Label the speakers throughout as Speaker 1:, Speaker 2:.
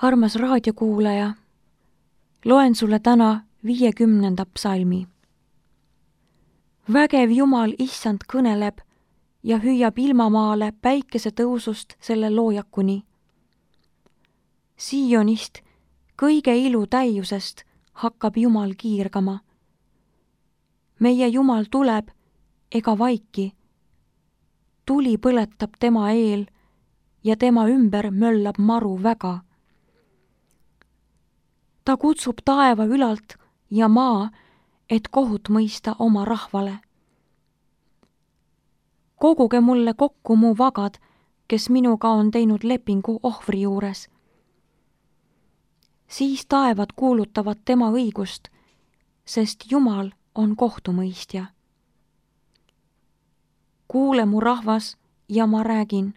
Speaker 1: Armas raadiokuulaja, loen sulle täna 50. psalmi. Vägev Jumal issand kõneleb ja hüüab ilmamaale päikese tõusust selle loojakuni. Siionist, kõige ilu täiusest, hakkab Jumal kiirgama. Meie Jumal tuleb ega vaiki. Tuli põletab tema eel ja tema ümber möllab maru väga. Ta kutsub taeva ülalt ja maa, et kohut mõista oma rahvale. Koguge mulle kokku mu vagad, kes minuga on teinud lepingu ohvri juures. Siis taevad kuulutavad tema õigust, sest Jumal on kohtumõistja. Kuule mu rahvas ja ma räägin.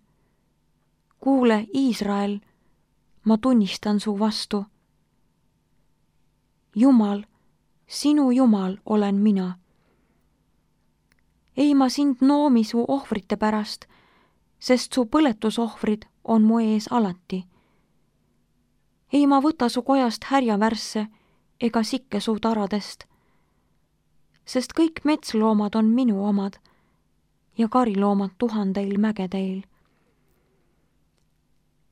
Speaker 1: Kuule, Iisrael, ma tunnistan su vastu. Jumal, sinu Jumal olen mina. Ei ma sind noomi su ohvrite pärast, sest su põletusohvrid on mu ees alati. Ei ma võta su kojast härjavärsse ega sikke su taradest, sest kõik metsloomad on minu omad ja kariloomad tuhandeil mägedeil.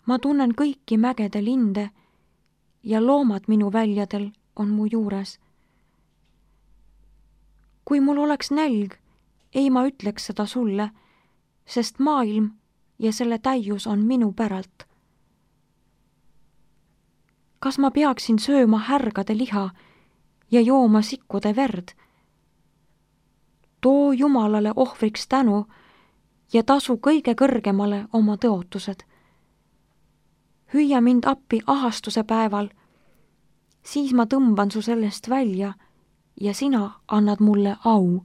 Speaker 1: Ma tunnen kõiki mägede linde ja loomad minu väljadel on mu juures. Kui mul oleks nälg, ei ma ütleks seda sulle, sest maailm ja selle täius on minu päralt. Kas ma peaksin sööma härgade liha ja jooma sikkude verd? Too Jumalale ohvriks tänu ja tasu kõige kõrgemale oma tõotused. Hüüa mind appi ahastuse päeval, siis ma tõmban su sellest välja ja sina annad mulle au.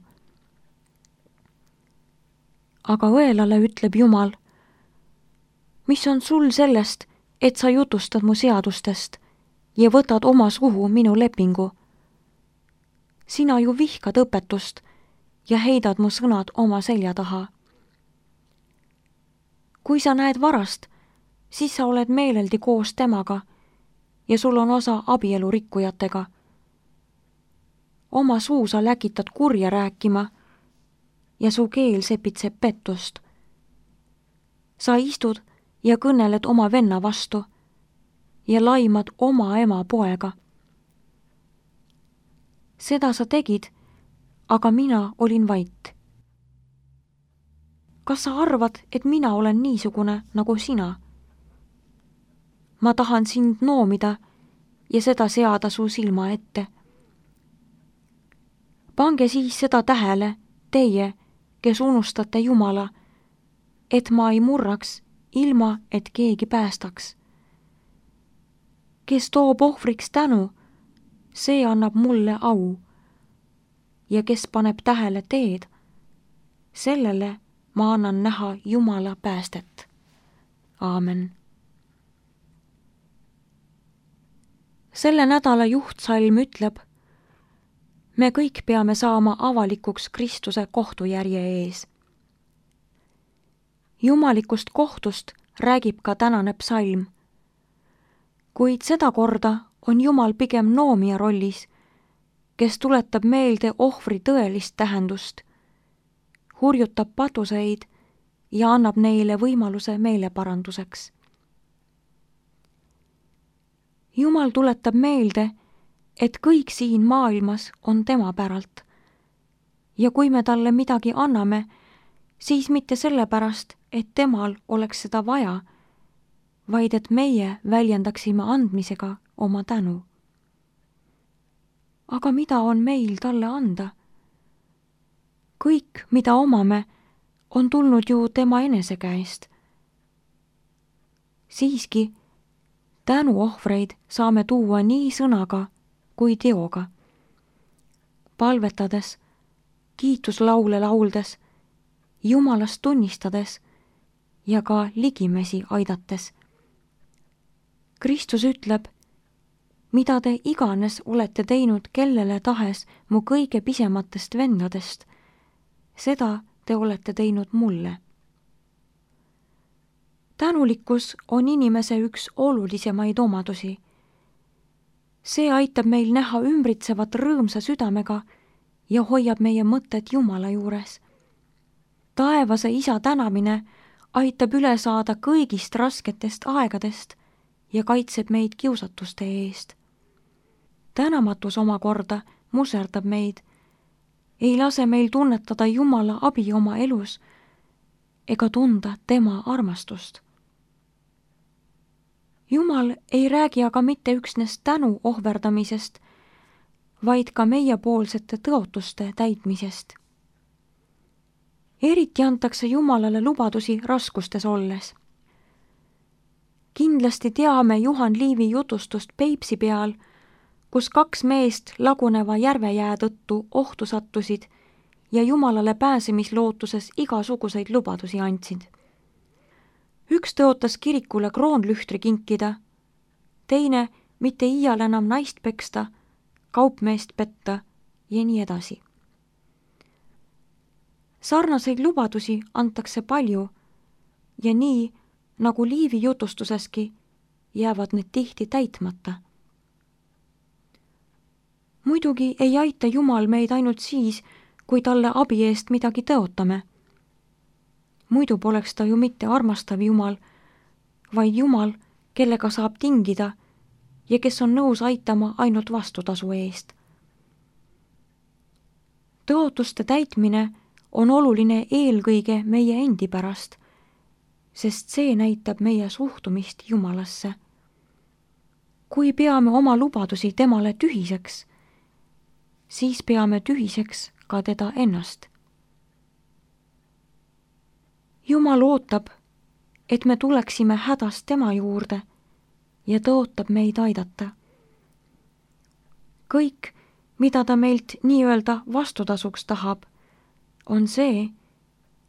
Speaker 1: Aga õelale ütleb Jumal, mis on sul sellest, et sa jutustad mu seadustest ja võtad oma suhu minu lepingu? Sina ju vihkad õpetust ja heidad mu sõnad oma selja taha. Kui sa näed varast, siis sa oled meeleldi koos temaga ja sul on osa abielurikkujatega. Oma suu sa läkitad kurja rääkima ja su keel sepitseb pettust. Sa istud ja kõneled oma venna vastu ja laimad oma ema poega. Seda sa tegid, aga mina olin vait. Kas sa arvad, et mina olen niisugune nagu sina? Ma tahan sind noomida ja seda seada su silma ette. Pange siis seda tähele, teie, kes unustate Jumala, et ma ei murraks, ilma et keegi päästaks. Kes toob ohvriks tänu, see annab mulle au. Ja kes paneb tähele teed, sellele ma annan näha Jumala päästet. Aamen. Selle nädala juhtsalm ütleb, me kõik peame saama avalikuks Kristuse kohtujärje ees. Jumalikust kohtust räägib ka tänane psalm. Kuid seda korda on Jumal pigem noomija rollis, kes tuletab meelde ohvri tõelist tähendust, hurjutab patuseid ja annab neile võimaluse meeleparanduseks. Jumal tuletab meelde, et kõik siin maailmas on tema päralt. Ja kui me talle midagi anname, siis mitte sellepärast, et temal oleks seda vaja, vaid et meie väljendaksime andmisega oma tänu. Aga mida on meil talle anda? Kõik, mida omame, on tulnud ju tema enese käest. Siiski, tänuohvreid saame tuua nii sõnaga kui teoga. Palvetades, kiituslaule lauldes, Jumalast tunnistades ja ka ligimesi aidates. Kristus ütleb, mida te iganes olete teinud kellele tahes mu kõige pisematest vendadest, seda te olete teinud mulle. tänulikkus on inimese üks olulisemaid omadusi. See aitab meil näha ümbritsevat rõõmsa südamega ja hoiab meie mõtted Jumala juures. Taevase Isa tänamine aitab üle saada kõigist rasketest aegadest ja kaitseb meid kiusatuste eest. Tänamatus omakorda muserdab meid, ei lase meil tunnetada Jumala abi oma elus ega tunda tema armastust. Jumal ei räägi aga mitte üksnes tänu ohverdamisest, vaid ka meiepoolsete tõotuste täitmisest. Eriti antakse Jumalale lubadusi raskustes olles. Kindlasti teame Juhan Liivi jutustust Peipsi peal, kus 2 meest laguneva järvejää tõttu ohtu sattusid ja Jumalale pääsemislootuses igasuguseid lubadusi andsid. Üks tõotas kirikule kroonlühtri kinkida, teine mitte iial enam naist peksta, kaupmeest petta ja nii edasi. Sarnaseid lubadusi antakse palju ja nii, nagu Liivi jutustuseski, jäävad need tihti täitmata. Muidugi ei aita Jumal meid ainult siis, kui talle abi eest midagi tõotame. Muidu poleks ta ju mitte armastav Jumal, vaid Jumal, kellega saab tingida ja kes on nõus aitama ainult vastutasu eest. Tõotuste täitmine on oluline eelkõige meie endi pärast, sest see näitab meie suhtumist Jumalasse. Kui peame oma lubadusi temale tühiseks, siis peame tühiseks ka teda ennast. Jumal ootab, et me tuleksime hädast tema juurde ja tõotab meid aidata. Kõik, mida ta meilt nii-öelda vastutasuks tahab, on see,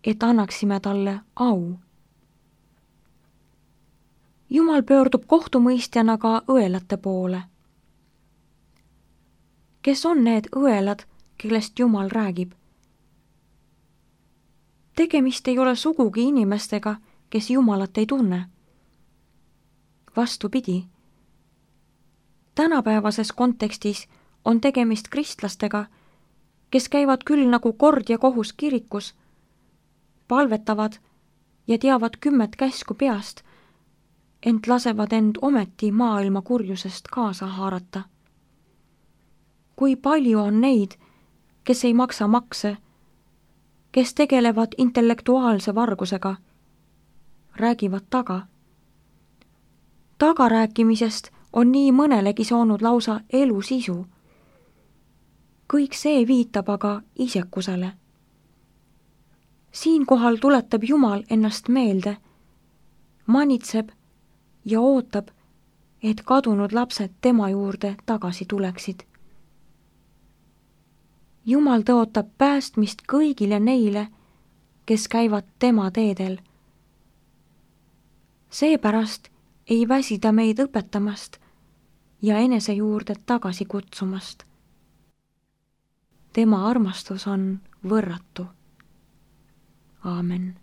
Speaker 1: et annaksime talle au. Jumal pöördub kohtumõistjana ka õelate poole. Kes on need õelad, kellest Jumal räägib? Tegemist ei ole sugugi inimestega, kes Jumalat ei tunne. Vastupidi. Tänapäevases kontekstis on tegemist kristlastega, kes käivad küll nagu kord ja kohus kirikus, palvetavad ja teavad 10 käsku peast, ent lasevad end ometi maailma kurjusest kaasa haarata. Kui palju on neid, kes ei maksa makse, kes tegelevad intellektuaalse vargusega, räägivad taga. Tagarääkimisest on nii mõnelegi saanud lausa elu sisu. Kõik see viitab aga isekusele. Siinkohal tuletab Jumal ennast meelde, manitseb ja ootab, et kadunud lapsed tema juurde tagasi tuleksid. Jumal tõotab päästmist kõigile neile, kes käivad tema teedel. Seepärast ei väsi ta meid õpetamast ja enese juurde tagasi kutsumast. Tema armastus on võrratu. Aamen.